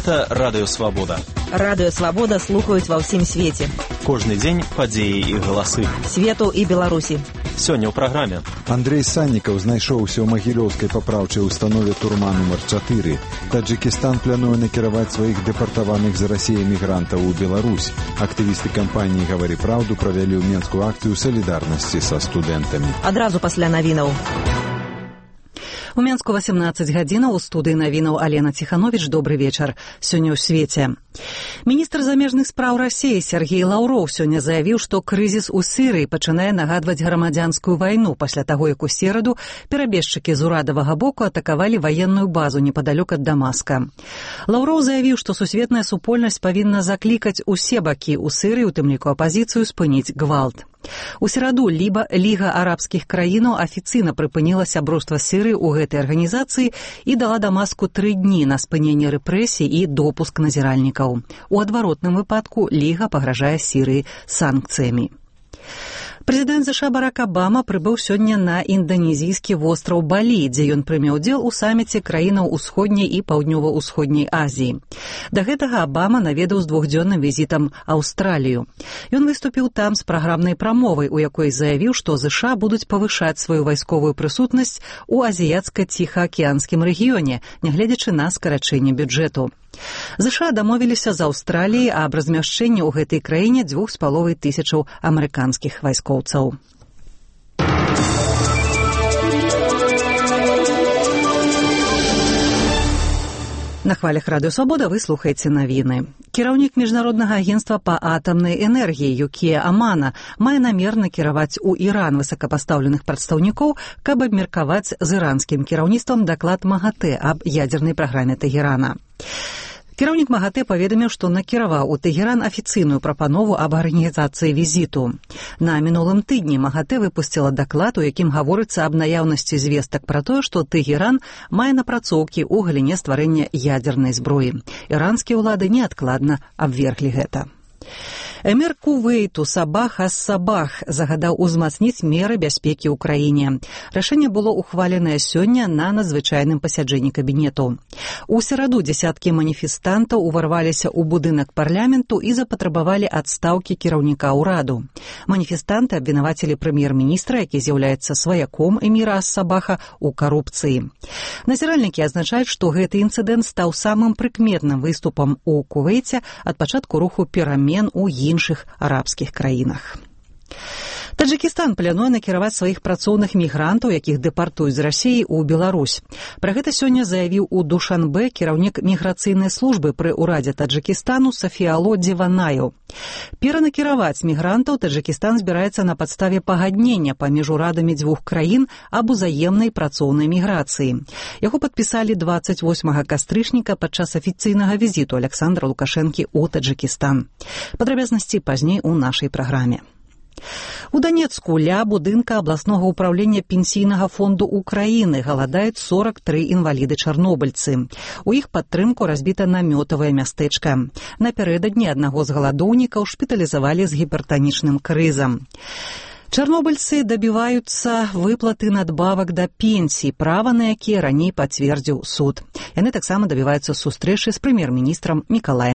Гэта Радыё Свабода. Радыё Свабода слухаюць ва ўсім свеце. Кожны дзень падзеі і галасы. Свету і Беларусі. Сёння ў праграме. Андрей Саннікаў знайшоўся ў магілёўскай папраўчай установе турма нумар 4. Таджикістан плануе накіраваць сваіх дэпартаваных з Расіі мігрантаў у Беларусь. Актывісты кампаніі «Гавары праўду» правялі ў Менскую акцыю салідарнасці са студэнтамі. Адразу пасля навінаў. У Менску 18 гадзінаў, у студыі навінаў Алена Ціхановіч. Добры вечар. Сёння ў свеце. Міністр замежных спраў Расіі Сергей Лаўроў сёння заявіў, што крызіс у Сірыі пачынае нагадваць грамадзянскую вайну пасля таго, як у сераду перабежчыкі з урадавага боку атакавалі ваенную базу непадалёк ад Дамаска. Лаўроў заявіў, што сусветная супольнасць павінна заклікаць усе бакі ў Сірыі, у тым ліку апазіцыю, спыніць гвалт. У сераду Ліга арабскіх краінаў афіцыйна прыпыніла сяброўства Сірыі ў гэтай арганізацыі і дала Дамаску 3 дні на спыненне рэпрэсій і допуск назіральнікаў. У адваротным выпадку Ліга пагражае Сірыі санкцыямі. Прэзідэнт ЗША Барак Абама прыбыў сёння на інданезійскі востраў Балі, дзе ён прыме ўдзел у саміце краінаў усходняй і паўднёва-ўсходняй Азіі. Да гэтага Абама наведаў з 2-дзённым візітам Аўстралію. Ён выступіў там з праграмнай прамовай, у якой заявіў, што ЗША будуць павышаць сваю вайсковую прысутнасць у азіяцка-ціхаакіянскім рэгіёне, нягледзячы на скарачэнне бюджэту. ЗША дамовіліся з Аўстраліяй аб размяшчэнні ў гэтай краіне 2500 амерыканскіх вайскоўцаў. На хвалях Радыё Свабода вы слухаеце навіны. Кіраўнік Міжнароднага агенцтва па атамнай энергіі Юкія Амана мае намер накіраваць у Іран высокапастаўленых прадстаўнікоў, каб абмеркаваць з іранскім кіраўніцтвам даклад МАГАТЭ аб ядзернай праграме Тэгерана. Кіраўнік МАГАТЭ паведаміў, што накіраваў у Тэгеран афіцыйную прапанову аб арганізацыі візіту. На мінулым тыдні МАГАТЭ выпусціла даклад, у якім гаворыцца аб наяўнасці звестак пра тое, што Тэгеран мае напрацоўкі ў галіне стварэння ядзернай зброі. Іранскія ўлады неадкладна абверглі гэта. Эмір Кувейту Сабах ас-Сабах загадаў узмацніць меры бяспекі ў краіне. Рашэнне было ухваленае сёння на надзвычайным пасяджэнні кабінету. У сераду дзесяткі маніфестантаў уварваліся ў будынак парламенту і запатрабавалі адстаўкі кіраўніка ўраду. Маніфестанты абвінавацілі прэм'ер-міністра, які з'яўляецца сваяком эміра ас-Сабаха, у карупцыі. Назіральнікі адзначаюць, што гэты інцыдэнт стаў самым прыкметным выступам у Кувейце ад пачатку руху перамен у іншых арабскіх краінах. Таджикістан плануе накіраваць сваіх працоўных мігрантаў, якіх дэпартуюць з Расіі, у Беларусь. Пра гэта сёння заявіў у Душанбе кіраўнік міграцыйнай службы пры ўрадзе Таджикістану Сафіало Дзіванаю. Перанакіраваць мігрантаў Таджикістан збіраецца на падставе пагаднення паміж урадамі 2 краін аб узаемнай працоўнай міграцыі. Яго падпісалі 28 кастрычніка падчас афіцыйнага візіту Александра Лукашэнкі ў Таджикістан. Падрабязнасці пазней у нашай праграме. У Данецку ля будынка абласнога ўпраўлення пенсійнага фонду Украіны галадаюць 43 інваліды-чарнобыльцы. У іх падтрымку разбіта намётавае мястэчка. Напярэдадні аднаго з галадоўнікаў шпіталізавалі з гіпертанічным крызам. Чарнобыльцы дабіваюцца выплаты надбавак да пенсій, права на якія раней пацвердзіў суд. Яны таксама дабіваюцца сустрэчы з прэм'ер-міністрам Мікалаем